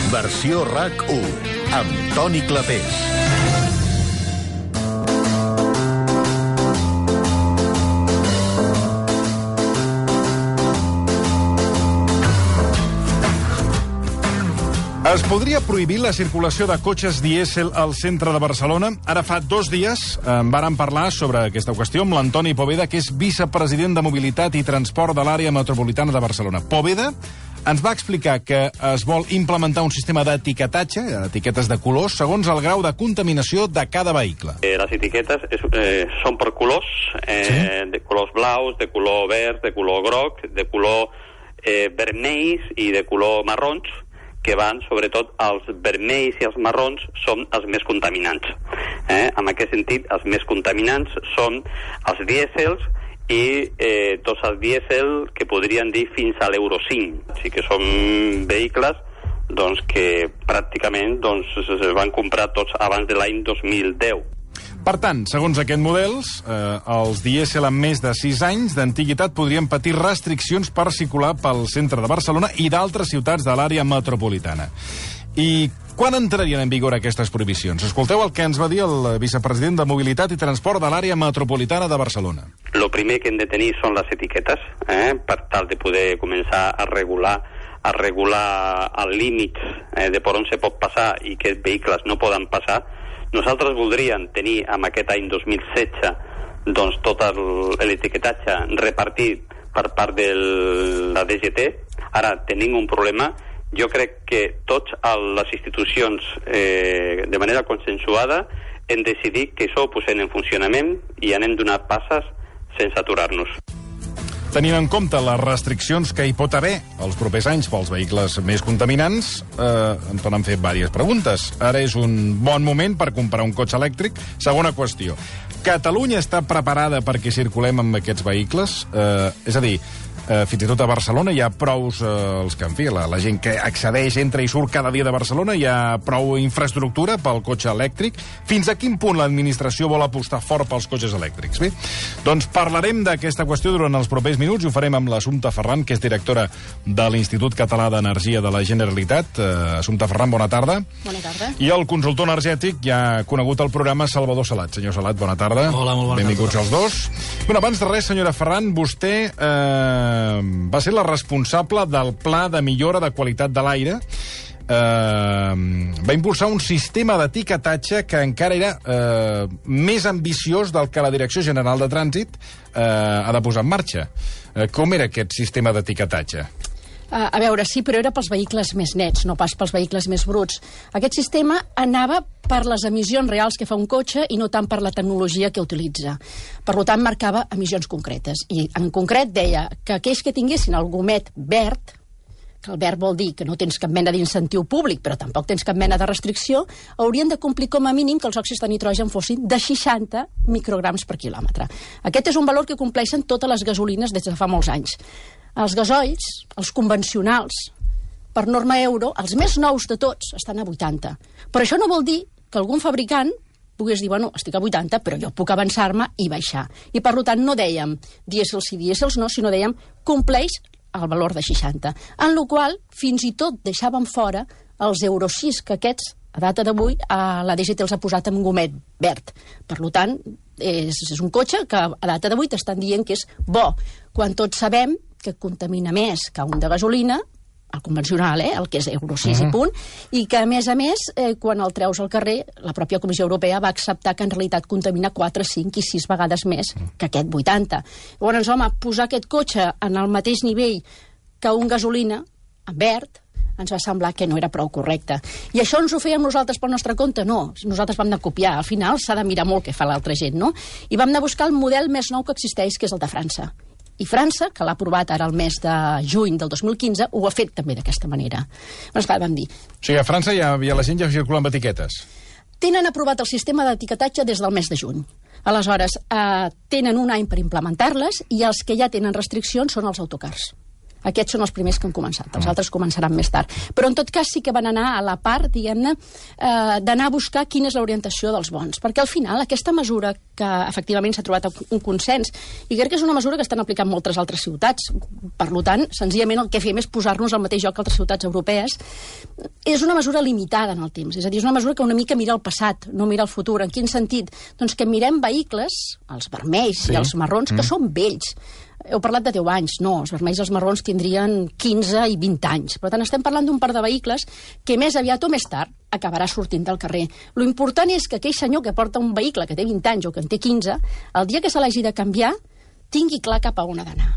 Versió RAC1, amb Toni Clapés. Es podria prohibir la circulació de cotxes dièsel al centre de Barcelona? Ara fa 2 dies vàrem parlar sobre aquesta qüestió amb l'Antoni Poveda, que és vicepresident de Mobilitat i Transport de l'àrea metropolitana de Barcelona. Poveda ens va explicar que es vol implementar un sistema d'etiquetatge, etiquetes de colors, segons el grau de contaminació de cada vehicle. Les etiquetes són per colors, de colors blaus, de color verd, de color groc, de color vermells i de color marrons, que van, sobretot, els vermells i els marrons són els més contaminants. En aquest sentit, els més contaminants són els dièsels i tots els dièsel que podrien dir fins a l'Euro 5. Així que són vehicles que pràcticament es van comprar tots abans de l'any 2010. Per tant, segons aquests models, els dièsel amb més de 6 anys d'antiguitat podrien patir restriccions per circular pel centre de Barcelona i d'altres ciutats de l'àrea metropolitana. I quan entrarien en vigor aquestes prohibicions? Escolteu el que ens va dir el vicepresident de Mobilitat i Transport de l'àrea metropolitana de Barcelona. El primer que hem de tenir són les etiquetes, per tal de poder començar a regular el límit de per on se pot passar i que els vehicles no poden passar. Nosaltres voldríem tenir amb aquest any 2016 tot l'etiquetatge repartit per part de la DGT. Ara tenim un problema. Jo crec que totes les institucions, de manera consensuada, hem decidit que això ho posem en funcionament i anem donant passes sense aturar-nos. Tenint en compte les restriccions que hi pot haver els propers anys pels vehicles més contaminants, ens han fet diverses preguntes. Ara és un bon moment per comprar un cotxe elèctric. Segona qüestió. Catalunya està preparada perquè circulem amb aquests vehicles? És a dir, fins i tot a Barcelona hi ha prous, la gent que accedeix, entra i surt cada dia de Barcelona, hi ha prou infraestructura pel cotxe elèctric. Fins a quin punt l'administració vol apostar fort pels cotxes elèctrics? Bé, doncs parlarem d'aquesta qüestió durant els propers minuts i ho farem amb l'Assumpta Ferran, que és directora de l'Institut Català d'Energia de la Generalitat. Assumpta Ferran, bona tarda. Bona tarda. I el consultor energètic, ja conegut al programa, Salvador Salat. Senyor Salat, bona tarda. Hola, molt bona Benvinguts tarda. els dos. Bueno, abans de res, senyora Ferran, vostè va ser la responsable del Pla de Millora de Qualitat de l'Aire. Va impulsar un sistema d'etiquetatge que encara era més ambiciós del que la Direcció General de Trànsit ha de posar en marxa. Com era aquest sistema d'etiquetatge? A veure, sí, però era pels vehicles més nets, no pas pels vehicles més bruts. Aquest sistema anava per les emissions reals que fa un cotxe i no tant per la tecnologia que utilitza. Per tant, marcava emissions concretes. I en concret deia que aquells que tinguessin el gomet verd, que el verd vol dir que no tens cap mena d'incentiu públic, però tampoc tens cap mena de restricció, haurien de complir com a mínim que els òxids de nitrogen fossin de 60 micrograms per quilòmetre. Aquest és un valor que compleixen totes les gasolines des de fa molts anys. Els gasoils, els convencionals, per norma euro, els més nous de tots, estan a 80. Però això no vol dir que algun fabricant pogués dir, bueno, estic a 80, però jo puc avançar-me i baixar. I per tant no dèiem dièsels sí, dièsels no, sinó dèiem compleix el valor de 60. En la qual fins i tot deixàvem fora els Euro 6, que aquests, a data d'avui, la DGT els ha posat amb gomet verd. Per tant, és un cotxe que a data d'avui t'estan dient que és bo, quan tots sabem que contamina més que un de gasolina, el convencional, el que és Euro 6 i punt, i que, a més, quan el treus al carrer, la pròpia Comissió Europea va acceptar que en realitat contamina 4, 5 i 6 vegades més que aquest 80. Llavors, home, posar aquest cotxe en el mateix nivell que un gasolina, en verd, ens va semblar que no era prou correcte. I això ens ho fèiem nosaltres pel nostre compte? No, nosaltres vam anar a copiar. Al final s'ha de mirar molt què fa l'altra gent, no? I vam anar a buscar el model més nou que existeix, que és el de França. I França, que l'ha aprovat ara el mes de juny del 2015, ho ha fet també d'aquesta manera. Doncs clar, vam dir... O sigui, a França ja la gent ja circula amb etiquetes. Tenen aprovat el sistema d'etiquetatge des del mes de juny. Aleshores, tenen un any per implementar-les i els que ja tenen restriccions són els autocars. Aquests són els primers que han començat, els altres començaran més tard. Però en tot cas sí que van anar a la part, diguem-ne, d'anar a buscar quina és l'orientació dels bons. Perquè al final aquesta mesura que efectivament s'ha trobat un consens, i crec que és una mesura que estan aplicant moltes altres ciutats, per tant, senzillament el que fem és posar-nos al mateix lloc que altres ciutats europees, és una mesura limitada en el temps, és a dir, és una mesura que una mica mira el passat, no mira el futur. En quin sentit? Doncs que mirem vehicles, els vermells i els marrons, que són vells. Heu parlat de 10 anys, no, els vermells i els marrons tindrien 15 i 20 anys. Per tant, estem parlant d'un parc de vehicles que més aviat o més tard acabarà sortint del carrer. Lo important és que aquell senyor que porta un vehicle que té 20 anys o que en té 15, el dia que se l'hagi de canviar, tingui clar cap a on ha d'anar.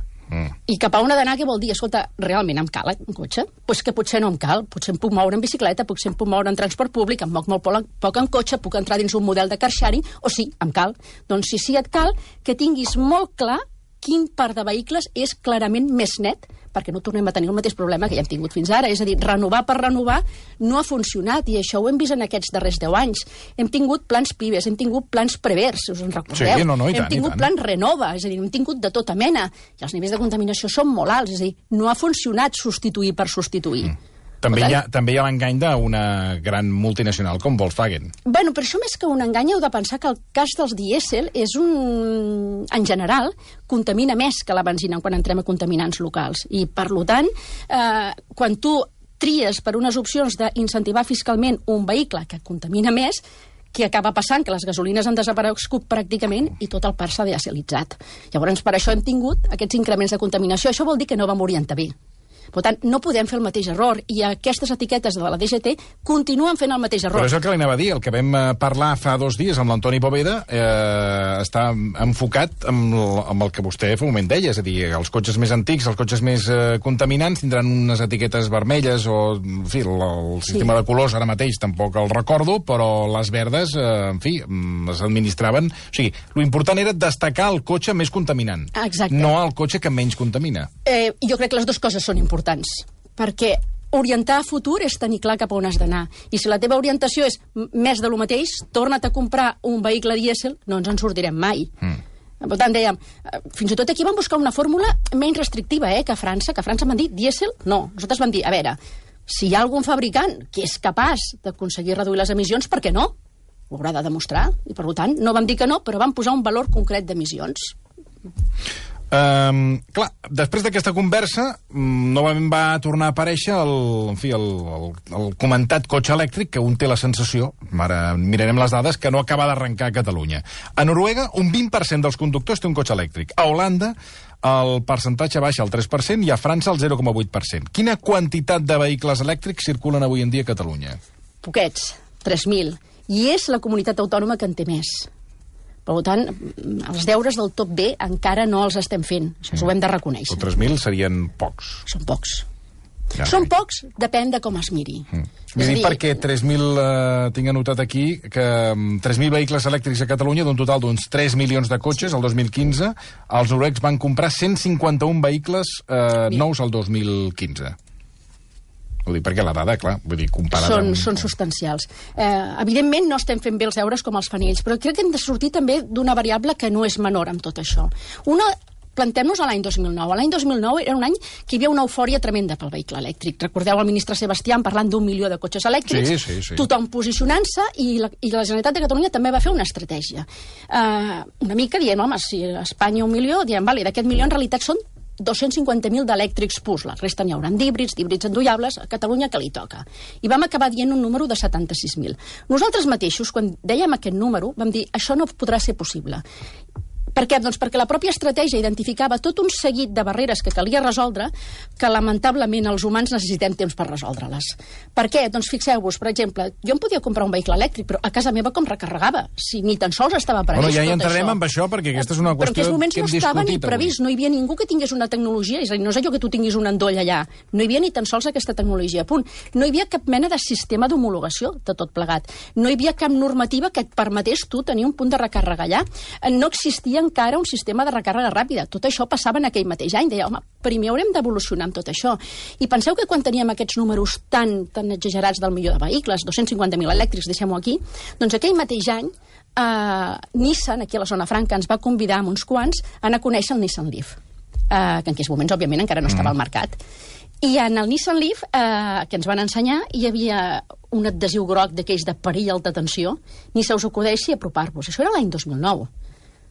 I cap a on ha d'anar, què vol dir? Escolta, realment em cal un cotxe? Doncs que potser no em cal. Potser em puc moure en bicicleta, potser em puc moure en transport públic, em moc molt poc en cotxe, puc entrar dins un model de car sharing, o sí, em cal. Doncs si sí et cal, que tinguis molt clar quin parc de vehicles és clarament més net, perquè no tornem a tenir el mateix problema que ja hem tingut fins ara. És a dir, renovar per renovar no ha funcionat, i això ho hem vist en aquests darrers 10 anys. Hem tingut plans Pibes, hem tingut plans Prevers, si us en recordeu. Sí, no, hem tingut plans Renova, és a dir, hem tingut de tota mena, i els nivells de contaminació són molt alts, és a dir, no ha funcionat substituir per substituir. També hi ha l'engany d'una gran multinacional com Volkswagen. Bueno, per això més que un engany heu de pensar que el cas dels dièsel és en general, contamina més que la benzina quan entrem a contaminants locals. I, per tant, quan tu tries per unes opcions d'incentivar fiscalment un vehicle que contamina més, que acaba passant que les gasolines han desaparegut pràcticament i tot el parc s'ha dièselitzat. Llavors, per això hem tingut aquests increments de contaminació. Això vol dir que no vam orientar bé. Per tant, no podem fer el mateix error, i aquestes etiquetes de la DGT continuen fent el mateix error. Però és el que li anava a dir, el que vam parlar fa 2 dies amb l'Antoni Poveda està enfocat amb el que vostè fa un moment deia, és a dir, els cotxes més antics, els cotxes més contaminants tindran unes etiquetes vermelles, o, en fi, el sistema de colors ara mateix tampoc el recordo, però les verdes, en fi, les administraven. O sigui, l'important era destacar el cotxe més contaminant, no el cotxe que menys contamina. Jo crec que les dues coses són importants, perquè orientar a futur és tenir clar cap a on has d'anar. I si la teva orientació és més de lo mateix, torna't a comprar un vehicle dièsel, no ens en sortirem mai. Per tant, dèiem, fins i tot aquí vam buscar una fórmula menys restrictiva que a França, van dir dièsel, no. Nosaltres vam dir, a veure, si hi ha algun fabricant que és capaç d'aconseguir reduir les emissions, per què no? Ho haurà de demostrar, i per tant, no vam dir que no, però vam posar un valor concret d'emissions. Clar, després d'aquesta conversa novament va tornar a aparèixer el comentat cotxe elèctric, que un té la sensació, ara mirarem les dades, que no acaba d'arrencar a Catalunya. A Noruega, un 20% dels conductors té un cotxe elèctric. A Holanda, el percentatge baixa al 3% i a França al 0,8%. Quina quantitat de vehicles elèctrics circulen avui en dia a Catalunya? Poquets, 3.000. I és la comunitat autònoma que en té més. Per tant, els deures del top B encara no els estem fent. Això ho hem de reconèixer. O 3.000 serien pocs. Són pocs. Ja. Són pocs, depèn de com es miri. És a dir, perquè 3.000, tinc anotat aquí, que 3.000 vehicles elèctrics a Catalunya, d'un total d'uns 3 milions de cotxes, el 2015, els noruecs van comprar 151 vehicles nous el 2015. Vull dir, perquè la dada, clar, vull dir, comparada... Són substancials. Evidentment no estem fent bé els deures com els fan ells, però crec que hem de sortir també d'una variable que no és menor amb tot això. Plantem-nos a l'any 2009. L'any 2009 era un any que hi havia una eufòria tremenda pel vehicle elèctric. Recordeu el ministre Sebastián parlant d'1 milió de cotxes elèctrics, sí. Tothom posicionant-se, i la Generalitat de Catalunya també va fer una estratègia. Una mica dient, home, si a Espanya 1 milió, diem, vale, d'aquest milió en realitat són 250.000 d'elèctrics purs. La resta n'hi hauran d'híbrids endollables, a Catalunya que li toca. I vam acabar dient un número de 76.000. Nosaltres mateixos, quan dèiem aquest número, vam dir, això no podrà ser possible. Per què? Doncs perquè la pròpia estratègia identificava tot un seguit de barreres que calia resoldre, que lamentablement els humans necessitem temps per resoldre-les. Per què? Doncs fixeu-vos, per exemple, jo em podia comprar un vehicle elèctric, però a casa meva com recarregava? Si ni tan sols estava previst tot això. Ja entrarem amb això, perquè aquesta és una qüestió que hem discutit. Però en aquells moments no estava ni previst, no hi havia ningú que tingués una tecnologia, és a dir, no és allò que tu tinguis un endoll allà, no hi havia ni tan sols aquesta tecnologia, punt. No hi havia cap mena de sistema d'homologació de tot plegat. No hi havia cap normativa que et permetés tu tenir un punt de recàrrega allà. No existia encara un sistema de recàrrega ràpida. Tot això passava en aquell mateix any. Deia, home, primer haurem d'evolucionar amb tot això. I penseu que quan teníem aquests números tan exagerats del milió de vehicles, 250.000 elèctrics, deixem-ho aquí, doncs aquell mateix any Nissan, aquí a la zona franca, ens va convidar amb uns quants a anar a conèixer el Nissan Leaf. que en aquells moments, òbviament, encara no estava al mercat. I en el Nissan Leaf, que ens van ensenyar, hi havia un adhesiu groc d'aquells de perill alta tensió, ni se us acudeixi apropar-vos. Això era l'any 2009.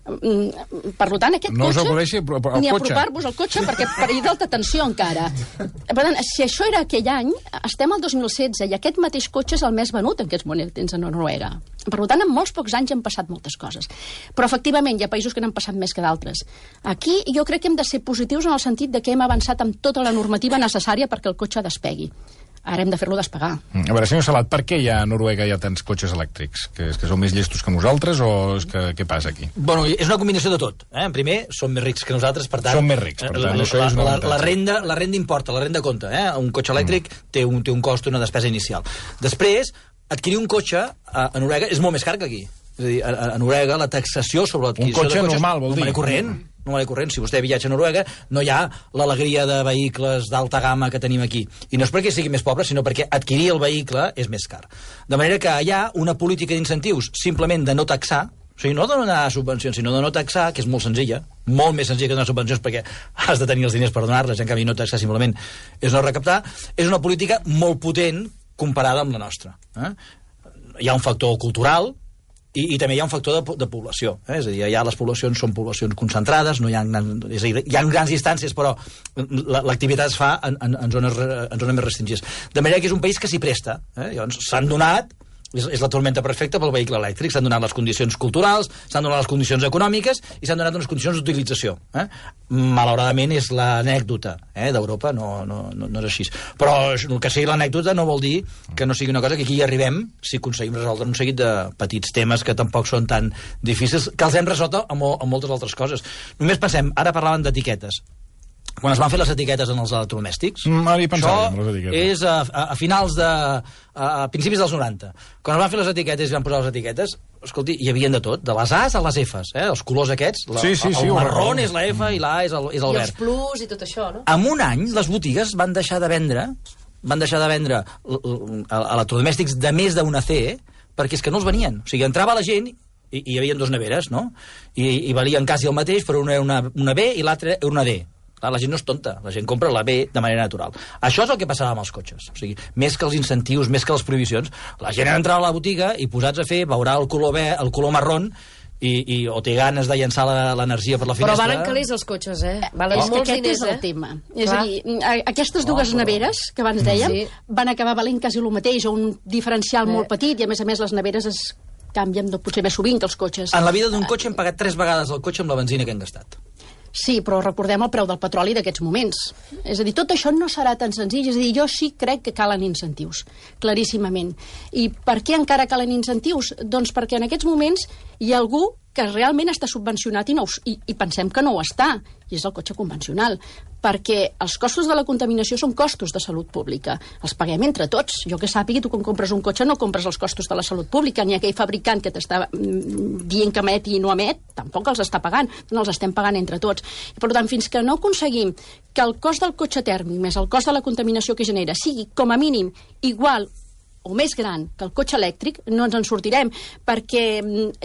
Per tant, aquest no cotxe... us acudeixi al cotxe. Ni apropar-vos al cotxe, perquè perill d'alta tensió encara. Per tant, si això era aquell any, estem al 2016, i aquest mateix cotxe és el més venut en aquests moments a Noruega. Per tant, en molts pocs anys han passat moltes coses. Però, efectivament, hi ha països que n'han passat més que d'altres. Aquí jo crec que hem de ser positius en el sentit de que hem avançat amb tota la normativa necessària perquè el cotxe despegui. Ara hem de fer-lo despegar. A veure, senyor Salat, per què a Noruega hi ha tants cotxes elèctrics? Que és que són més llestos que nosaltres o és que què passa aquí? Bueno, és una combinació de tot. Primer, són més rics que nosaltres, per tant... Són més rics, per tant, això és una la renda importa, la renda compta. Un cotxe elèctric té un cost, una despesa inicial. Després, adquirir un cotxe a Noruega és molt més car que aquí. És a dir, a Noruega la taxació sobre l'adquisició de cotxes... Un cotxe normal, vol dir? No m'ha corrent. Si vostè viatja a Noruega, no hi ha l'alegria de vehicles d'alta gamma que tenim aquí. I no és perquè sigui més pobre, sinó perquè adquirir el vehicle és més car. De manera que hi ha una política d'incentius simplement de no taxar, o sigui, no de donar subvencions, sinó de no taxar, que és molt senzilla, molt més senzilla que donar subvencions perquè has de tenir els diners per donar-les, en canvi no taxar simplement és no recaptar. És una política molt potent comparada amb la nostra. Hi ha un factor cultural, i també hi ha un factor de població. És a dir, ja les poblacions són poblacions concentrades, no hi ha grans distàncies, però l'activitat es fa en zones més restringides. De manera que és un país que s'hi presta. Llavors, s'han donat, és la tormenta perfecta pel vehicle elèctric, s'han donat les condicions culturals, s'han donat les condicions econòmiques i s'han donat unes condicions d'utilització. Malauradament és l'anècdota d'Europa, no és així. Però que sigui l'anècdota no vol dir que no sigui una cosa que aquí hi arribem si aconseguim resoldre un seguit de petits temes que tampoc són tan difícils, que els hem resolt amb moltes altres coses. Només pensem, ara parlaven d'etiquetes. Quan es van fer les etiquetes en els electrodomèstics, això és a finals a principis dels 90. Quan es van fer les etiquetes i van posar les etiquetes, escolti, hi havia de tot, de les A's a les F's, els colors aquests, el marrón és la F i la A és el verd. I els plus i tot això, no? En un any, les botigues van deixar de vendre electrodomèstics de més d'una C, perquè és que no els venien. O sigui, entrava la gent i hi havia dues neveres, no? I valien quasi el mateix, però una era una B i l'altra era una D. La gent no és tonta, la gent compra la B de manera natural. Això és el que passava amb els cotxes. O sigui, més que els incentius, més que les prohibicions, la gent entrava a la botiga i posats a fer, veurà el color marrón o té ganes de llençar l'energia per la finestra. Però valen calés els cotxes, Valen molts diners, aquest és el tema. És a dir, aquestes dues neveres que abans dèiem van acabar valent quasi el mateix, o un diferencial molt petit, i a més les neveres es canvien potser més sovint que els cotxes. En la vida d'un cotxe hem pagat 3 vegades el cotxe amb la benzina que hem gastat. Sí, però recordem el preu del petroli d'aquests moments. És a dir, tot això no serà tan senzill. És a dir, jo sí crec que calen incentius, claríssimament. I per què encara calen incentius? Doncs perquè en aquests moments hi ha algú que realment està subvencionat i pensem que no ho està, i és el cotxe convencional, perquè els costos de la contaminació són costos de salut pública. Els paguem entre tots. Jo que sàpigui, tu quan compres un cotxe no compres els costos de la salut pública, ni aquell fabricant que t'està dient que emet i no emet, tampoc els està pagant, no els estem pagant entre tots. I, per tant, fins que no aconseguim que el cost del cotxe tèrmic més el cost de la contaminació que genera sigui, com a mínim, igual o més gran que el cotxe elèctric, no ens en sortirem, perquè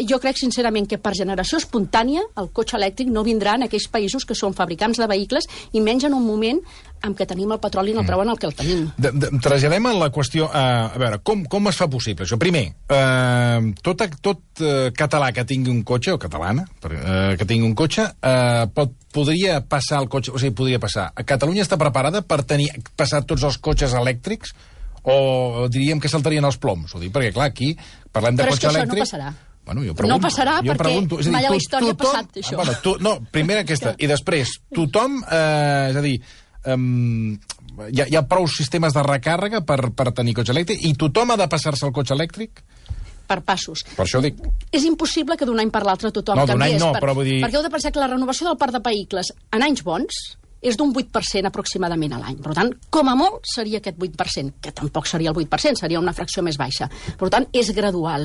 jo crec sincerament que per generació espontània el cotxe elèctric no vindrà en aquells països que són fabricants de vehicles, i menys en un moment en què tenim el petroli en el preu en el que el tenim. Traslladem a la qüestió, a veure, com es fa possible això? Primer, tot català que tingui un cotxe, o catalana, que tingui un cotxe, podria passar el cotxe, o sigui, podria passar. Catalunya està preparada per passar tots els cotxes elèctrics, o diríem que saltarien els ploms? Ho dic perquè, clar, aquí parlem de cotxe elèctric... Però és que això no passarà. Bueno, jo pregunto, no passarà perquè mai a la història ha passat això. No, primer aquesta, i després, tothom, és a dir, hi ha prou sistemes de recàrrega per tenir cotxe elèctric, i tothom ha de passar-se al cotxe elèctric? Per passos. Per això dic. És impossible que d'un any per l'altre tothom canviés. No, d'un any no, però vull dir... Perquè heu de pensar que la renovació del parc de vehicles en anys bons és d'un 8% aproximadament a l'any. Per tant, com a molt seria aquest 8%, que tampoc seria el 8%, seria una fracció més baixa. Per tant, és gradual.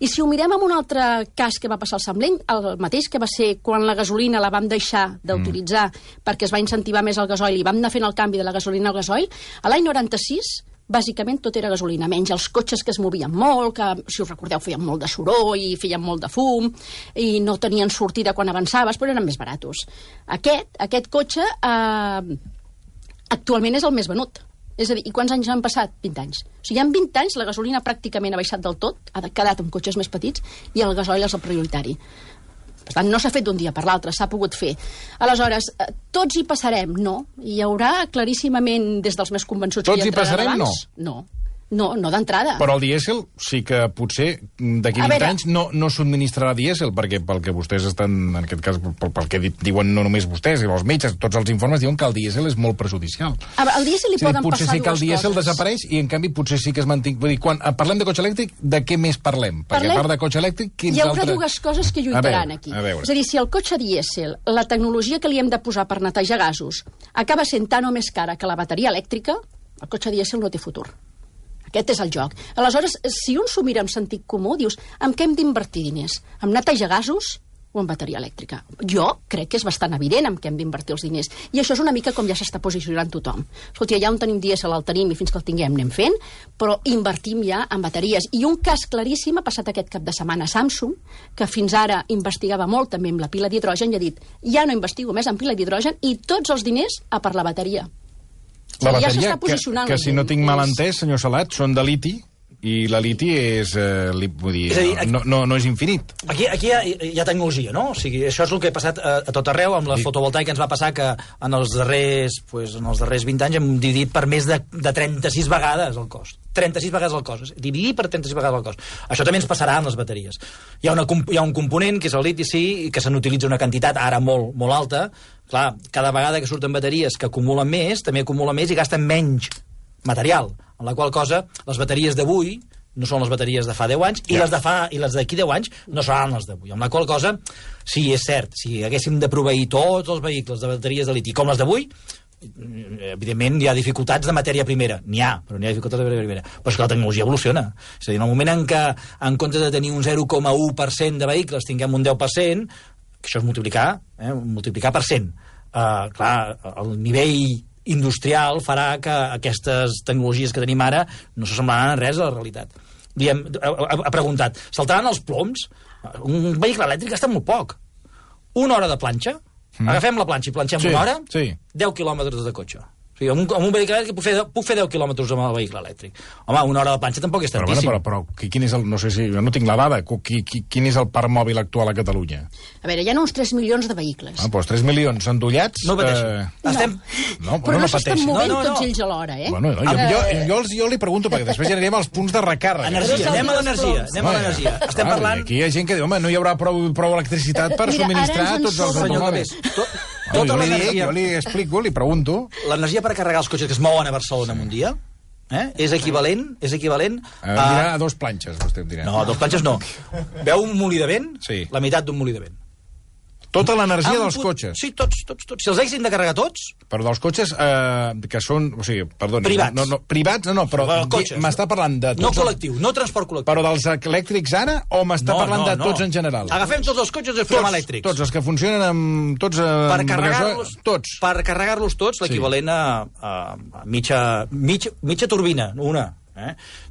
I si ho mirem en un altre cas que va passar al Samleng, el mateix que va ser quan la gasolina la vam deixar d'utilitzar perquè es va incentivar més el gasoil i vam anar fent el canvi de la gasolina al gasoil, a l'any 96 bàsicament tot era gasolina, menys els cotxes que es movien molt, que, si us recordeu, feien molt de soroll i feien molt de fum, i no tenien sortida quan avançaves, però eren més baratos. Aquest cotxe actualment és el més venut. És a dir, i quants anys han passat? 20 anys. O sigui, en 20 anys la gasolina pràcticament ha baixat del tot, ha quedat amb cotxes més petits, i el gasoil és el prioritari. Per tant, no s'ha fet d'un dia per l'altre, s'ha pogut fer. Aleshores, tots hi passarem? No. Hi haurà claríssimament, des dels més convençuts... Tots hi passarem? No. No d'entrada. Però el dièsel sí que potser d'aquí 20 anys no subministrarà dièsel, perquè pel que vostès estan, en aquest cas, pel que diuen no només vostès, i els metges, tots els informes diuen que el dièsel és molt perjudicial. Al dièsel li poden passar dues coses. Potser sí que el dièsel desapareix i, en canvi, potser sí que es manté. Vull dir, quan parlem de cotxe elèctric, de què més parlem? Perquè a part de cotxe elèctric, quins altres... Hi haurà dues coses que lluitaran aquí. És a dir, si el cotxe dièsel, la tecnologia que li hem de posar per netejar gasos, acaba sent tan o més cara que la bateria elèctrica, el cotxe dièsel no té futur. Aquest és el joc. Aleshores, si un s'ho mira amb sentit comú, dius, en què hem d'invertir diners? En netejar gasos o en bateria elèctrica? Jo crec que és bastant evident en què hem d'invertir els diners. I això és una mica com ja s'està posicionant tothom. Escolta, ja on tenim dièsel el tenim i fins que el tinguem anem fent, però invertim ja en bateries. I un cas claríssim ha passat aquest cap de setmana a Samsung, que fins ara investigava molt també amb la pila d'hidrogen i ha dit, ja no investigo més en pila d'hidrogen i tots els diners a per la bateria. La bateria, que si no tinc mal entès, senyor Salat, són de liti, i la liti és, vull dir, no és infinit. Aquí hi ha tecnologia, no? O sigui, això és el que ha passat a tot arreu, amb la fotovoltaica ens va passar que en els darrers 20 anys hem dividit per més de 36 vegades el cost. 36 vegades el cost. Dividir per 36 vegades el cost. Això també ens passarà amb les bateries. Hi ha un component, que és el liti, sí, i que se n'utilitza una quantitat ara molt, molt alta. Clar, cada vegada que surten bateries que acumulen més, també acumulen més i gasten menys material, en la qual cosa les bateries d'avui no són les bateries de fa 10 anys i les d'aquí 10 anys no seran les d'avui, amb la qual cosa, sí, és cert, si haguéssim de proveir tots els vehicles de bateries de liti com les d'avui, evidentment hi ha dificultats de matèria primera, però n'hi ha dificultats de matèria primera, però és que la tecnologia evoluciona, és a dir, en el moment en què en comptes de tenir un 0,1% de vehicles tinguem un 10%, que això és multiplicar per 100. Clar, el nivell industrial farà que aquestes tecnologies que tenim ara no s'assemblaran a res a la realitat. Ha preguntat, saltaran els ploms? Un vehicle elèctric gasta molt poc. Una hora de planxa, agafem la planxa i planxem una hora, 10 quilòmetres de cotxe. O sigui, amb un vehicle elèctric puc fer 10 quilòmetres amb el vehicle elèctric. Home, una hora de planxa tampoc és tantíssim. Però quin és el... No sé si... Jo no tinc la dada. Quin és el parc mòbil actual a Catalunya? A veure, hi ha uns 3 milions de vehicles. Doncs 3 milions endollats... No pateixo. Però no s'estan movent tots ells alhora, eh? Bueno, jo li pregunto, perquè després ja anirem als punts de recàrrega. Anem a l'energia. Estem parlant... Aquí hi ha gent que diu, home, no hi haurà prou electricitat per subministrar tots els automòbils. Jo li explico, li pregunto... L'energia per carregar els cotxes que es mouen a Barcelona en un dia és equivalent a 2 planxes, vostè em dirà. No, 2 planxes no. Veu un molí de vent? Sí. La meitat d'un molí de vent. Tota l'energia dels cotxes? Sí, tots. Si els haguessin de carregar tots... Però dels cotxes que són... O sigui, perdoni... Privats. Privats, no, però m'està parlant de tots... No col·lectiu, no transport col·lectiu. Però dels elèctrics ara o m'està parlant de tots en general? Agafem tots els cotxes i els fem elèctrics. Tots, els que funcionen amb... Tots. Per carregar-los tots, l'equivalent a mitja turbina, una.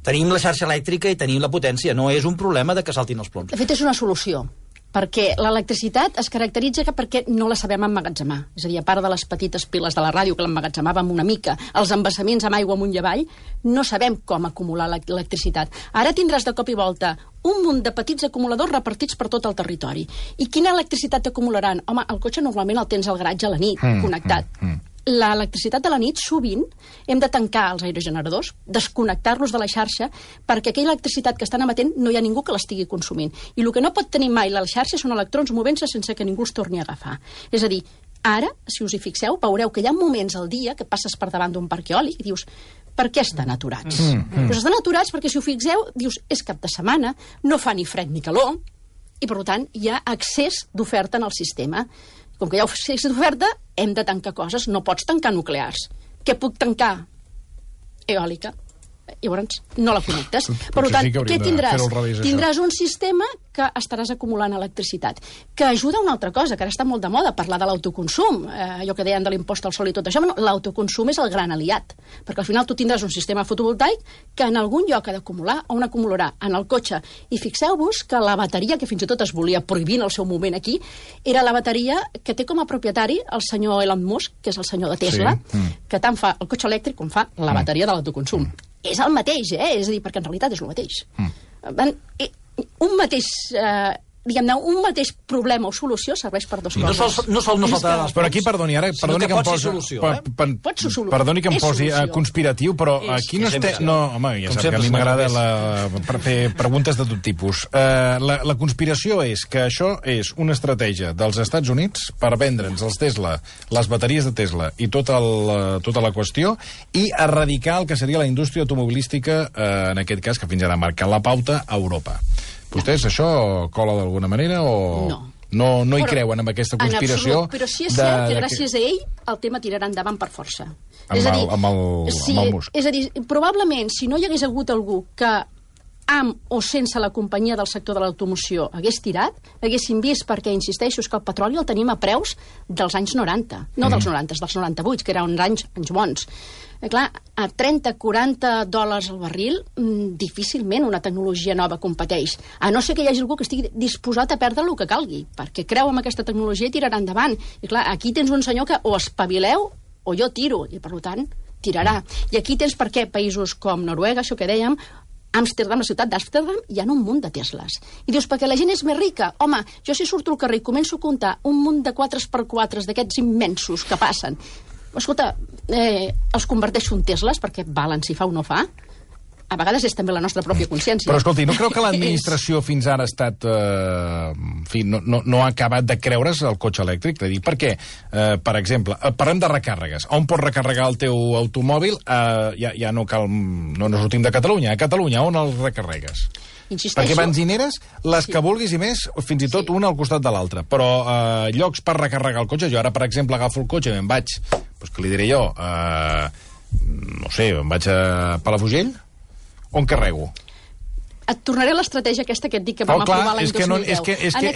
Tenim la xarxa elèctrica i tenim la potència. No és un problema de que saltin els ploms. De fet, és una solució. Perquè l'electricitat es caracteritza perquè no la sabem emmagatzemar. És a dir, a part de les petites piles de la ràdio que l'emmagatzemàvem una mica, els embassaments amb aigua amunt i avall, no sabem com acumular l'electricitat. Ara tindràs de cop i volta un munt de petits acumuladors repartits per tot el territori. I quina electricitat acumularan? Home, el cotxe normalment el tens al garatge a la nit, connectat. L'electricitat de la nit, sovint, hem de tancar els aerogeneradors, desconnectar-los de la xarxa, perquè aquella electricitat que estan emetent no hi ha ningú que l'estigui consumint. I el que no pot tenir mai la xarxa són electrons movent-se sense que ningú els torni a agafar. És a dir, ara, si us hi fixeu, veureu que hi ha moments al dia que passes per davant d'un parc eòlic i dius, per què estan aturats? Doncs estan aturats perquè, si ho fixeu, dius, és cap de setmana, no fa ni fred ni calor, i per tant hi ha excés d'oferta en el sistema. Com que hi ha excés d'oferta, hem de tancar coses. No pots tancar nuclears. Què puc tancar? Eòlica. llavors no la connectes. Per Potser tant, sí que hauríem què de tindràs? fer-ho al revés, això. Tindràs un sistema que estaràs acumulant electricitat, que ajuda a una altra cosa, que ara està molt de moda, parlar de l'autoconsum, allò que deien de l'impost al sol i tot això. L'autoconsum és el gran aliat, perquè al final tu tindràs un sistema fotovoltaic que en algun lloc ha d'acumular, on acumularà en el cotxe. I fixeu-vos que la bateria, que fins i tot es volia prohibir en el seu moment aquí, era la bateria que té com a propietari el senyor Elon Musk, que és el senyor de Tesla, que tant fa el cotxe elèctric com fa la bateria de l'autoconsum. És el mateix, és a dir, perquè en realitat és el mateix. Un mateix... diguem-ne, un mateix problema o solució serveix per dues coses. No faltarà les Però aquí, perdoni que em posi... Pot ser solució. Perdoni que em És posi solució. conspiratiu, però aquí no estem... No, home, ja sap que a mi m'agrada fer preguntes de tot tipus. La conspiració és que això és una estratègia dels Estats Units per vendre'ns els Tesla, les bateries de Tesla i tota la qüestió, i erradicar el que seria la indústria automobilística, en aquest cas, que fins ara ha marcat la pauta a Europa. Vostès això cola d'alguna manera o... No hi creuen amb aquesta conspiració? En absolut, però sí és cert que gràcies a ell el tema tirarà endavant per força. Amb el Musk. És a dir, probablement, si no hi hagués hagut algú que amb o sense la companyia del sector de l'automoció hagués tirat, haguéssim vist, perquè insisteixo, que el petroli el tenim a preus dels anys 90, no dels 90, dels 98, que eren anys bons. Clar, a 30-40 dòlars al barril, difícilment una tecnologia nova competeix. A no ser que hi hagi algú que estigui disposat a perdre el que calgui, perquè creu en aquesta tecnologia i tirarà endavant. I clar, aquí tens un senyor que o espavileu o jo tiro, i per tant tirarà. I aquí tens per què països com Noruega, això que dèiem, Amsterdam, la ciutat d'Amsterdam, hi ha un munt de Tesles. I dius, perquè la gent és més rica. Home, jo si surto al carrer i començo a comptar un munt de 4x4 d'aquests immensos que passen, escolta, els converteixo en Tesles perquè valen si fa o no fa. A vegades és també la nostra pròpia consciència. Però escolti, no creu que l'administració fins ara ha estat... en fi, no ha acabat de creure's el cotxe elèctric? Dic, perquè, per exemple, parlem de recàrregues. On pots recarregar el teu automòbil? Ja no cal... No sortim de Catalunya. A Catalunya, on els recarregues? Insisteixo. Perquè benzineres, les que vulguis i més, fins i tot una al costat de l'altra. Però llocs per recarregar el cotxe, jo ara, per exemple, agafo el cotxe i me'n vaig, doncs què li diré jo, no sé, em vaig a Palafrugell, on carrego? Et tornaré a l'estratègia aquesta que et dic que vam aprovar l'any 2010.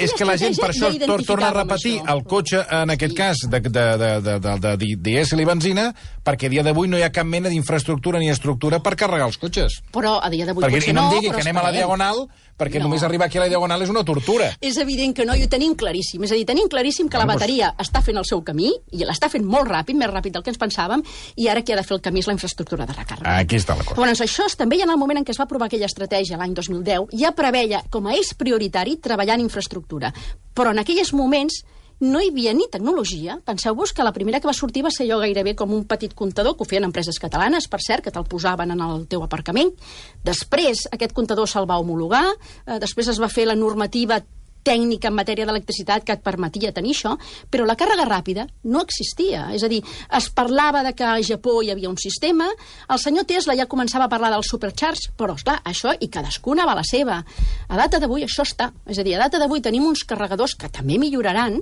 És que la gent per això torna a repetir el cotxe, en aquest cas, de dièsel i benzina, perquè a dia d'avui no hi ha cap mena d'infraestructura ni estructura per carregar els cotxes. Però a dia d'avui potser no, no, em digui que anem a la Diagonal, perquè només arribar aquí a la Diagonal és una tortura. És evident que no, i ho tenim claríssim. És a dir, tenim claríssim que la bateria està fent el seu camí, i l'està fent molt ràpid, més ràpid del que ens pensàvem, i ara qui ha de fer el camí és la infraestructura de recàrrega. Aquí està la cosa. Llavors, això també en el moment en què es va aprovar aquella estratègia, l'any 2010, ja preveia com a eix prioritari treballar en infraestructura. Però en aquells moments no hi havia ni tecnologia. Penseu-vos que la primera que va sortir va ser allò gairebé com un petit comptador, que ho feien empreses catalanes, per cert, que te'l posaven en el teu aparcament. Després aquest comptador se'l va homologar, després es va fer la normativa tècnica en matèria d'electricitat que et permetia tenir això, però la càrrega ràpida no existia. És a dir, es parlava de que a Japó hi havia un sistema, el senyor Tesla ja començava a parlar del supercharge, però, esclar, això i cadascuna va la seva. A data d'avui això està. És a dir, a data d'avui tenim uns carregadors que també milloraran,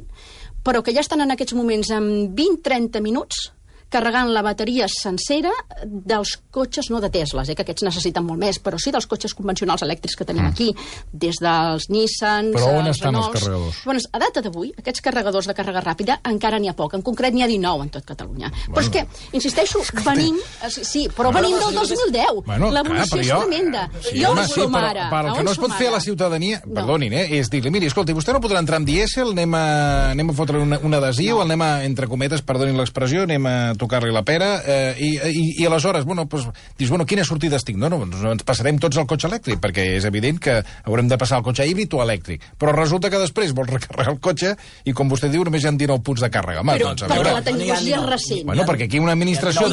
però que ja estan en aquests moments en 20-30 minuts carregant la bateria sencera dels cotxes, no de Tesles, que aquests necessiten molt més, però sí dels cotxes convencionals elèctrics que tenim aquí, des dels Nissans... Però on estan Renaults. Els carregadors? Bueno, a data d'avui, aquests carregadors de càrrega ràpida encara n'hi ha poc. En concret, n'hi ha 19 en tot Catalunya. Bueno, però és que, insisteixo, venim... Sí, però venim del 2010. Bueno, l'evolució és tremenda. Sí, jo home, on som ara? Per el que no es pot fer a la ciutadania, perdonin, és dir-li, miri, escolti, vostè no podrà entrar amb dièsel, anem a fotre un adhesiu, anem a, entre cometes, perdonin l'expressió, anem a tocar-li la pera, i aleshores, bueno, pues, dius, bueno, quines sortides tinc? No, ens passarem tots al cotxe elèctric, perquè és evident que haurem de passar al cotxe híbrid o elèctric. Però resulta que després vols recarregar el cotxe i, com vostè diu, només hi ha 19 punts de càrrega. Home, però doncs, perquè la tecnologia és recent. Bueno, perquè aquí una administració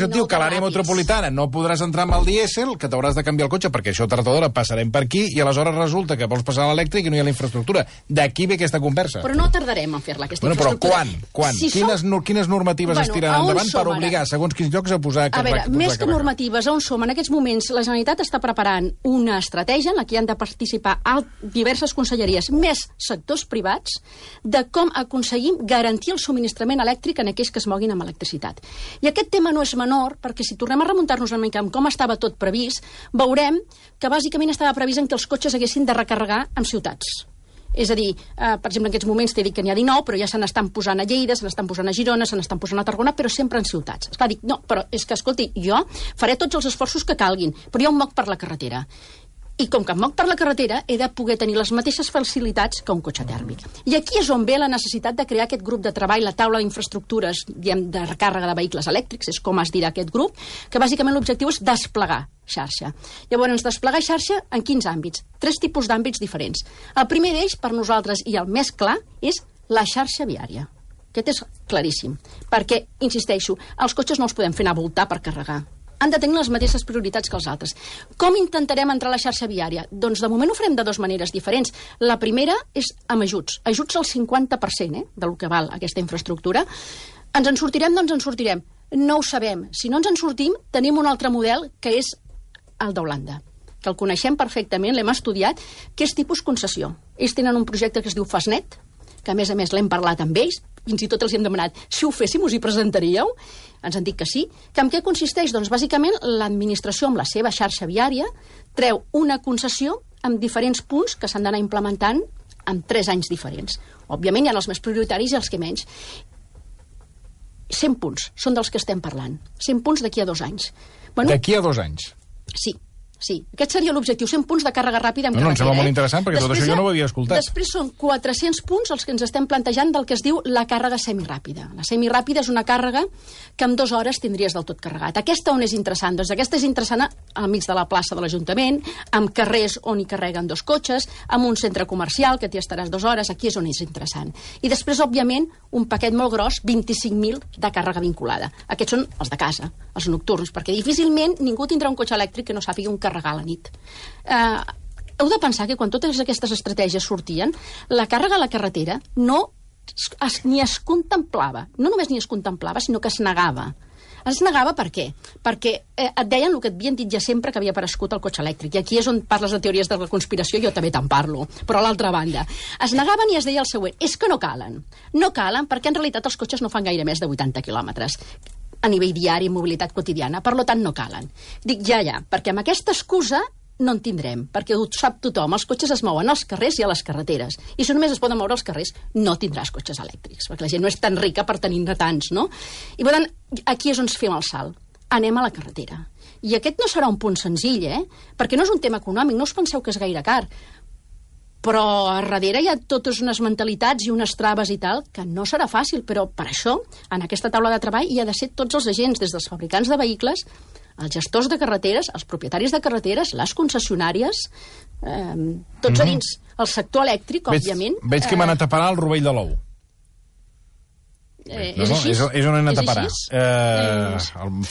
et diu que a l'àrea metropolitana no podràs entrar amb el dièsel, que t'hauràs de canviar el cotxe, perquè això tard o d'hora passarem per aquí, i aleshores resulta que vols passar a l'elèctric i no hi ha la infraestructura. D'aquí ve aquesta conversa. Però no tardarem en fer-la, aquesta infraestructura. Però quan? Si quines normatives normatives es tiren endavant per obligar segons quins llocs a posar... A veure, més que normatives, on som? En aquests moments la Generalitat està preparant una estratègia en la que han de participar diverses conselleries, més sectors privats, de com aconseguim garantir el subministrament elèctric en aquells que es moguin amb electricitat. I aquest tema no és menor, perquè si tornem a remuntar-nos una mica amb com estava tot previst, veurem que bàsicament estava previst en que els cotxes haguessin de recarregar en ciutats. És a dir, per exemple, en aquests moments t'he dit que n'hi ha 19, però ja se n'estan posant a Lleida, se n'estan posant a Girona, se n'estan posant a Tarragona, però sempre en ciutats. Esclar, dic, no, però és que, escolti, jo faré tots els esforços que calguin, però jo em moc per la carretera. I com que em moc per la carretera, he de poder tenir les mateixes facilitats que un cotxe tèrmic. I aquí és on ve la necessitat de crear aquest grup de treball, la taula d'infraestructures, diguem, de recàrrega de vehicles elèctrics, és com es dirà aquest grup, que bàsicament l'objectiu és desplegar xarxa. Llavors, desplegar xarxa en quins àmbits? 3 tipus d'àmbits diferents. El primer d'ells, per nosaltres, i el més clar, és la xarxa viària. Aquest és claríssim, perquè, insisteixo, els cotxes no els podem fer anar a voltar per carregar. Han de tenir les mateixes prioritats que els altres. Com intentarem entrar a la xarxa viària? Doncs de moment ho farem de 2 maneres diferents. La primera és amb ajuts. Ajuts al 50% del que val aquesta infraestructura. Ens en sortirem? Doncs ens sortirem. No ho sabem. Si no ens en sortim, tenim un altre model que és el d'Holanda, que el coneixem perfectament, l'hem estudiat, que és tipus concessió. Ells tenen un projecte que es diu Fastnet, que a més l'hem parlat amb ells, fins i tot els hi hem demanat, si ho féssim us hi presentaríeu? Ens han dit que sí. Que en què consisteix? Doncs bàsicament l'administració amb la seva xarxa viària treu una concessió amb diferents punts que s'han d'anar implementant en 3 anys diferents. Òbviament hi ha els més prioritaris i els que menys. 100 punts són dels que estem parlant. 100 punts d'aquí a 2 anys. Bueno, d'aquí a 2 anys? Sí. Sí, aquest seria l'objectiu, 100 punts de càrrega ràpida en carretera. Em sembla molt interessant, perquè després, tot això jo no ho havia escoltat. Després són 400 punts els que ens estem plantejant del que es diu la càrrega semiràpida. La semiràpida és una càrrega que en 2 hores tindries del tot carregat. Aquesta on és interessant? Doncs aquesta és interessant al mig de la plaça de l'Ajuntament, amb carrers on hi carreguen 2 cotxes, amb un centre comercial que t'hi estaràs 2 hores, aquí és on és interessant. I després, òbviament, un paquet molt gros, 25.000 de càrrega vinculada. Aquests són els de casa, els nocturns, perquè difícilment ningú tindrà un cotxe elèctric que no sàpiga un carregar a la nit. Heu de pensar que quan totes aquestes estratègies sortien, la càrrega a la carretera ni es contemplava. No només ni es contemplava, sinó que es negava. Es negava per què? Perquè et deien el que et havien dit ja sempre que havia aparegut el cotxe elèctric. I aquí és on parles de teories de la conspiració, jo també te'n parlo. Però a l'altra banda, es negaven i es deia el següent, és que no calen. No calen perquè en realitat els cotxes no fan gaire més de 80 quilòmetres a nivell diari, mobilitat quotidiana, per tant no calen. Dic ja, perquè amb aquesta excusa no en tindrem, perquè ho sap tothom, els cotxes es mouen als carrers i a les carreteres, i si només es poden moure als carrers, no tindràs cotxes elèctrics, perquè la gent no és tan rica per tenir-ne tants, no? I per tant, aquí és on fem el salt. Anem a la carretera. I aquest no serà un punt senzill, perquè no és un tema econòmic, no us penseu que és gaire car, però a darrere hi ha totes unes mentalitats i unes traves i tal, que no serà fàcil, però per això, en aquesta taula de treball hi ha de ser tots els agents, des dels fabricants de vehicles, els gestors de carreteres, els propietaris de carreteres, les concessionàries, tots a dins. El sector elèctric, òbviament... Veig que m'ha anat a parar el rovell de l'ou. És així? És on he anat a parar.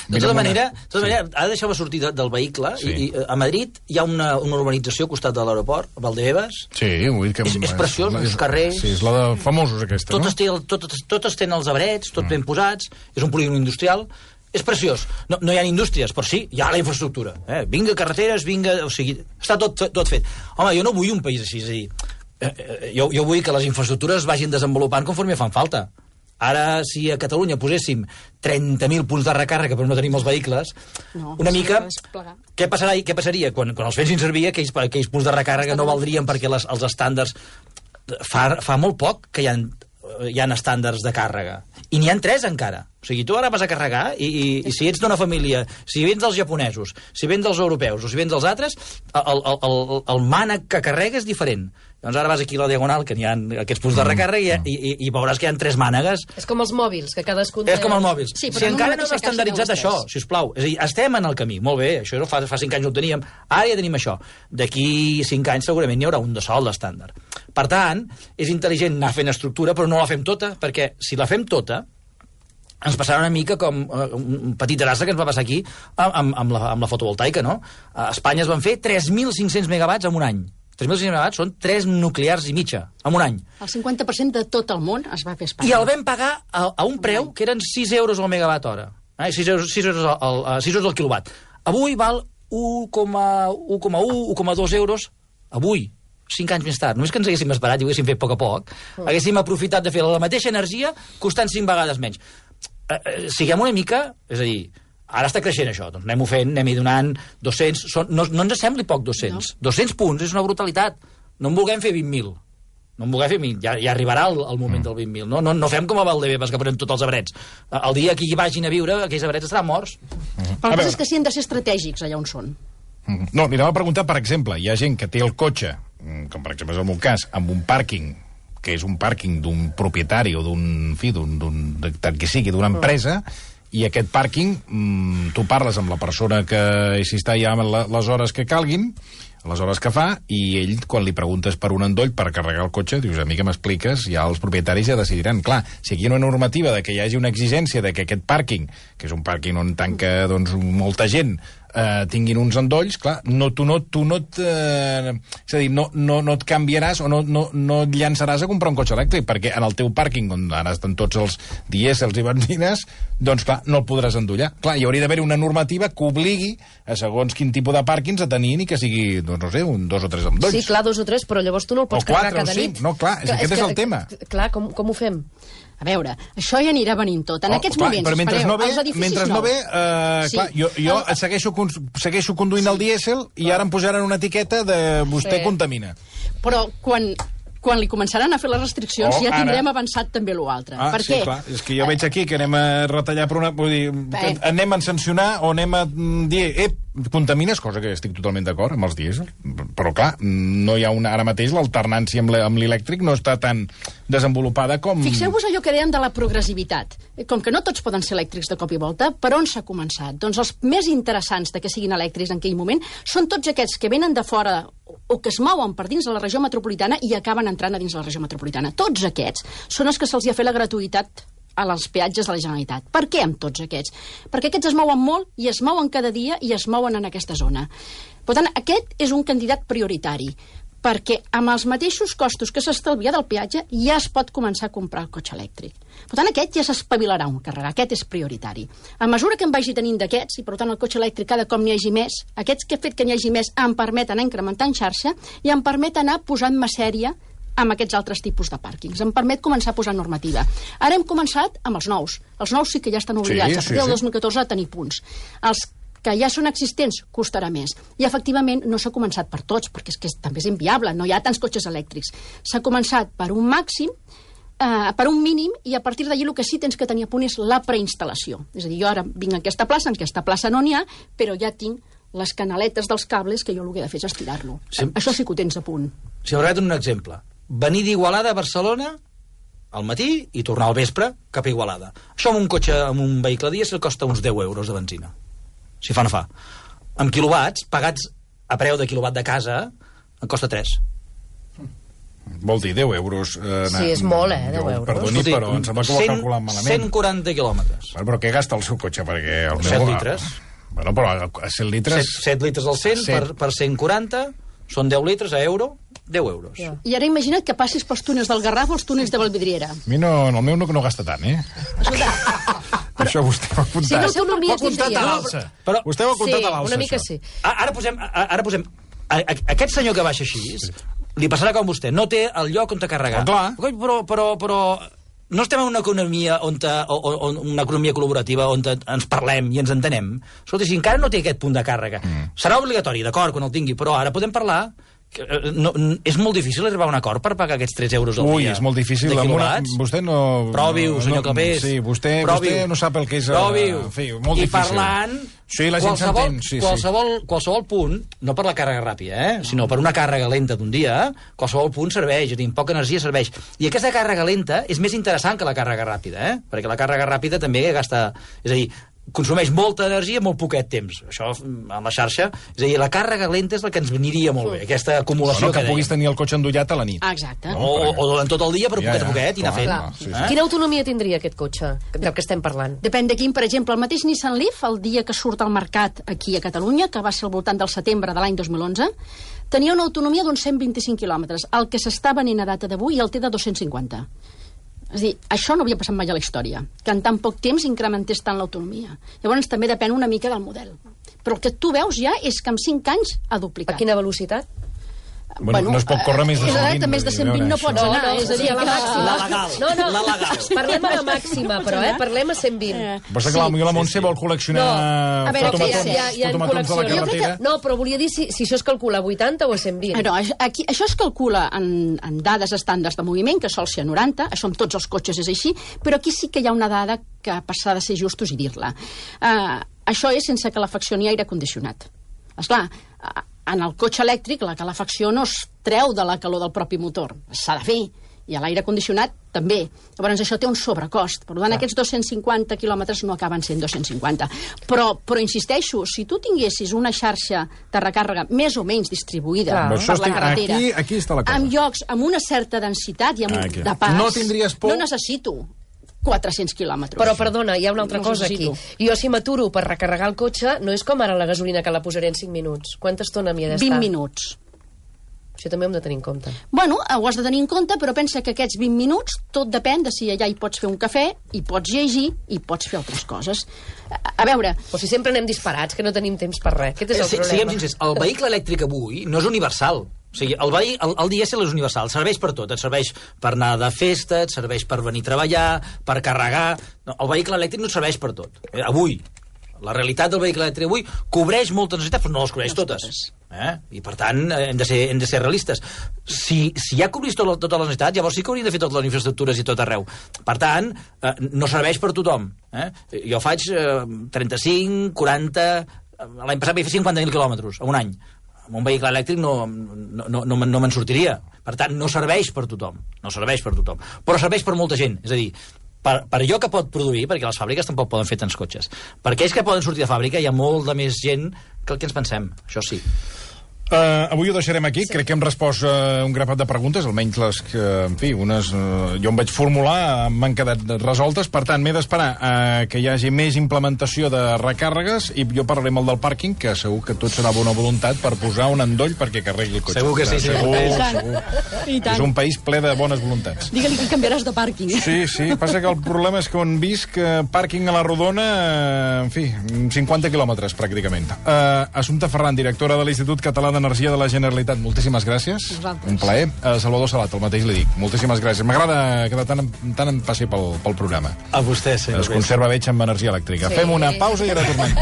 De tota manera, ha de deixar-me sortir del vehicle. Sí. I a Madrid hi ha una urbanització al costat de l'aeroport, Valdebebas. Sí, vull dir que... És preciós, uns carrers... Sí, és la de famosos, aquesta, no? Totes tenen els arbrets, tot ben posats, és un polígon industrial... És preciós. No hi ha indústries, però sí, hi ha la infraestructura. Vinga carreteres, vinga... O sigui, està tot fet. Home, jo no vull un país així, és a dir... Jo vull que les infraestructures vagin desenvolupant conforme fan falta. Ara, si a Catalunya poséssim 30.000 punts de recàrrega però no tenim els vehicles, una mica... Què passaria? Quan els fessin servir, aquells punts de recàrrega no valdrien perquè els estàndards... Fa molt poc que hi ha estàndards de càrrega. I n'hi ha 3 encara. O sigui, tu ara vas a carregar i si ets d'una família, si vens dels japonesos, si vens dels europeus o si vens dels altres, el mànec que carrega és diferent. Doncs ara vas aquí a la Diagonal, que n'hi ha aquests punts de recàrrega, i veuràs que hi ha 3 mànegues. És com els mòbils, que cadascun... És com els mòbils. Sí, si encara no hem estandarditzat això, sisplau. És a dir, estem en el camí, molt bé, això fa 5 anys no ho teníem, ara ja tenim això. D'aquí 5 anys segurament n'hi haurà un de sol d'estàndard. Per tant, és intel·ligent anar fent estructura, però no la fem tota, perquè si la fem tota, ens passarà una mica com un petit desastre que ens va passar aquí amb la fotovoltaica, no? A Espanya es van fer 3.500 megawatts en un any. 3.600 megawatts són 3 nuclears i mitja, en un any. El 50% de tot el món es va fer a Espanya. I el vam pagar a un preu que eren 6 euros al megawatt hora. 6 euros al quilowatt. Avui val 1,1, 1,2 euros. Avui, 5 anys més tard. Només que ens haguéssim esperat i ho haguéssim fet a poc, haguéssim aprofitat de fer la mateixa energia costant 5 vegades menys. Siguem una mica... És a dir, ara està creixent això, doncs anem-ho fent, anem-hi donant 200... No ens sembli poc 200. 200 punts és una brutalitat. No en vulguem fer 20.000. No en vulguem fer 20.000. Ja arribarà el moment del 20.000. No fem com a Valdebebas, que posem tots els abrets. El dia que hi vagin a viure, aquells abrets estaran morts. Però el que és que sí han de ser estratègics allà on són. No, li anava a preguntar, per exemple, hi ha gent que té el cotxe, com per exemple és el meu cas, amb un pàrquing, que és un pàrquing d'un propietari o d'un que sigui, d'una empresa, i aquest pàrquing, tu parles amb la persona que s'hi està ja les hores que calguin, les hores que fa, i ell, quan li preguntes per un endoll per carregar el cotxe, dius, a mi que m'expliques, ja els propietaris ja decidiran. Clar, si aquí hi ha una normativa de que hi hagi una exigència de que aquest pàrquing, que és un pàrquing on tanca molta gent, tinguin uns endolls, clar, és a dir, no et canviaràs o no et llançaràs a comprar un cotxe elèctric, perquè en el teu pàrquing, on ara estan tots els dièsels i benzines, doncs clar, no el podràs endollar. Clar, hi hauria d'haver una normativa que obligui a segons quin tipus de pàrquings a tenir ni que sigui, doncs no sé, 2 o 3 endolls. Sí, clar, 2 o 3, però llavors tu no el pots carregar cada nit. No, clar, aquest és el tema. Clar, com ho fem? A veure, això ja anirà venint tot. En aquests moments, però mentre espereu, no ve, els edificis sí. Clar, jo segueixo conduint el dièsel i ara em posaran una etiqueta de vostè contamina. Però quan li començaran a fer les restriccions ja tindrem avançat també l'altre. Per què? Sí, clar, és que jo veig aquí que anem a retallar per una... Vull dir, anem a sancionar o anem a dir contamines, cosa que estic totalment d'acord amb els dièsel, però clar, no hi ha ara mateix l'alternància amb l'elèctric no està tan desenvolupada com... Fixeu-vos allò que deien de la progressivitat. Com que no tots poden ser elèctrics de cop i volta, per on s'ha començat? Doncs els més interessants de que siguin elèctrics en aquell moment són tots aquests que venen de fora o que es mouen per dins de la regió metropolitana i acaben entrant a dins la regió metropolitana. Tots aquests són els que se'ls ha fet la gratuïtat als peatges de la Generalitat. Per què amb tots aquests? Perquè aquests es mouen molt i es mouen cada dia i es mouen en aquesta zona. Per tant, aquest és un candidat prioritari, perquè amb els mateixos costos que s'estalvia del peatge ja es pot començar a comprar el cotxe elèctric. Per tant, aquest ja s'espavilarà un carregar, aquest és prioritari. A mesura que em vagi tenint d'aquests, i per tant el cotxe elèctric cada cop n'hi hagi més, aquests que he fet que n'hi hagi més em permeten anar incrementant xarxa i em permet anar posant-me sèrie amb aquests altres tipus de pàrquings. Em permet començar a posar normativa. Ara hem començat amb els nous. Els nous sí que ja estan obligats a partir del 2014 a tenir punts. Els que ja són existents costarà més. I, efectivament, no s'ha començat per tots, perquè és que també és inviable, no hi ha tants cotxes elèctrics. S'ha començat per un màxim, per un mínim, i a partir d'allí el que sí tens que tenir a punt és la preinstal·lació. És a dir, jo ara vinc a aquesta plaça no n'hi ha, però ja tinc les canaletes dels cables que jo el que he de fer és estirar-lo. Sí. Això sí que ho tens a punt. Si m'agrada un exemple. Venir d'Igualada a Barcelona al matí i tornar al vespre cap a Igualada. Això amb un cotxe, amb un vehicle dièsel costa uns 10 euros de benzina. Si fa no fa. Amb quilowatts, pagats a preu de quilowatt de casa, en costa 3. Vol dir 10 euros... Sí, és molt, 10 euros. Perdoni, però em sembla que ho ha calculat malament. 140 quilòmetres. Però què gasta el seu cotxe? Perquè el 7 litres. Bueno, però a 7 litres... 7 litres al 100 per 140... Són 10 litres a euro, 10 euros. Yeah. I ara imagina't que passis pels túnels del Garraf o els túnels de Vallvidriera. A mi no, el meu no gasta tant, Això vostè ho ha apuntat. Sí, no, tu no ho ha apuntat a l'alça. Vostè ho ha apuntat a l'alça, una mica això. sí. Ara posem... Aquest senyor que baixa així, li passarà com vostè. No té el lloc on carregar. Però no estem en una economia una economia col·laborativa on ens parlem i ens entenem. Escolta, si encara no té aquest punt de càrrega, serà obligatori, d'acord, quan el tingui, però ara podem parlar... és molt difícil arribar a un acord per pagar aquests 3 euros al dia. Ui, és molt difícil. Vostè no... Provi-ho, senyor Clapés. Sí, vostè no sap el que és... Provi-ho. Molt difícil. I parlant... Sí, la gent s'entén. Qualsevol punt, no per la càrrega ràpida, sinó per una càrrega lenta d'un dia, qualsevol punt serveix, amb poca energia serveix. I aquesta càrrega lenta és més interessant que la càrrega ràpida, perquè la càrrega ràpida també gasta... És a dir, consumeix molta energia en molt poquet temps. Això, amb la xarxa, és a dir, la càrrega lenta és la que ens veniria molt bé, aquesta acumulació que puguis tenir el cotxe endollat a la nit. Exacte. O durant tot el dia, però poquet a poquet, i anar fent. Sí. Quina autonomia tindria aquest cotxe del que estem parlant? Depèn de quin, per exemple, el mateix Nissan Leaf, el dia que surt al mercat aquí a Catalunya, que va ser al voltant del setembre de l'any 2011, tenia una autonomia d'uns 125 quilòmetres. El que s'està venent a data d'avui el té de 250. És a dir, això no havia passat mai a la història, que en tan poc temps incrementés tant l'autonomia. Llavors també depèn una mica del model. Però el que tu veus ja és que en 5 anys ha duplicat. A quina velocitat? Bueno, no es pot córrer més de 120. Més de 120 no pots anar. És a dir, la màxima. La legal. Parlem a la màxima, però, parlem a 120. Però és clar, potser la Montse vol col·leccionar fotomatons de la carretera. No, però volia dir si això es calcula a 80 o a 120. No, això es calcula en dades estàndards de moviment, que sol ser a 90, això amb tots els cotxes és així, però aquí sí que hi ha una dada que passa de ser justos i dir-la. Això és sense calefacció ni aire condicionat. Esclar, en el cotxe elèctric la calefacció no es treu de la calor del propi motor, s'ha de fer, i a l'aire condicionat també. Llavors això té un sobrecost, per tant aquests 250 quilòmetres no acaben sent 250. Però insisteixo, si tu tinguessis una xarxa de recàrrega més o menys distribuïda per la carretera, aquí està la cosa. amb llocs amb una certa densitat i de pas, no tindries por. No necessito 400 quilòmetres. Però, perdona, hi ha una altra cosa aquí. Jo, si m'aturo per recarregar el cotxe, no és com ara la gasolina que la posaré en 5 minuts. Quanta estona m'hi ha d'estar? 20 minuts. Això també ho hem de tenir en compte. Bueno, ho has de tenir en compte, però pensa que aquests 20 minuts tot depèn de si allà hi pots fer un cafè, hi pots llegir, i pots fer altres coses. A veure... O si sempre anem disparats, que no tenim temps per res. Aquest és el problema. Siguem sincers, el vehicle elèctric avui no és universal. O sigui, el dièsel és universal, serveix per tot. Et serveix per anar de festa, et serveix per venir a treballar, per carregar... No, el vehicle elèctric no et serveix per tot. Avui, la realitat del vehicle elèctric avui cobreix moltes necessitats, però no les cobreix totes. I, per tant, hem de ser realistes. Si ja cobrís totes les necessitats, llavors sí que hauríem de fer totes les infraestructures i tot arreu. Per tant, no serveix per tothom. Jo faig 35, 40... L'any passat vaig fer 50.000 quilòmetres a un any. Amb un vehicle elèctric no me'n sortiria. Per tant, no serveix per tothom. No serveix per tothom. Però serveix per molta gent. És a dir, per allò que pot produir, perquè les fàbriques tampoc poden fer tants cotxes. Per aquells que poden sortir de fàbrica hi ha molt de més gent que el que ens pensem. Això sí. Avui ho deixarem aquí. Crec que hem respost un grapat de preguntes, almenys les que, en fi, unes jo em vaig formular, m'han quedat resoltes. Per tant, m'he d'esperar que hi hagi més implementació de recàrregues i jo parlaré amb el del pàrquing, que segur que tot serà bona voluntat per posar un endoll perquè carregui el cotxe. Segur que sí. Segur. És un país ple de bones voluntats. Digue-li que canviaràs de pàrquing. Sí. Passa que el problema és que on visc pàrquing a la Rodona, en fi, 50 quilòmetres pràcticament. Assumpta Ferran, directora de l'Institut Català d'Energia de la Generalitat, moltíssimes gràcies. Un plaer. Salvador Salat, el mateix li dic. Moltíssimes gràcies. M'agrada que de tant en passi pel programa. A vostè, senyor. Es conserva veig amb energia elèctrica. Fem una pausa i ara tornem.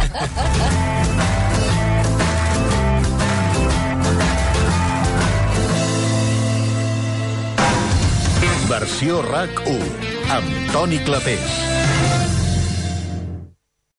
Versió RAC 1 amb Toni Clapés.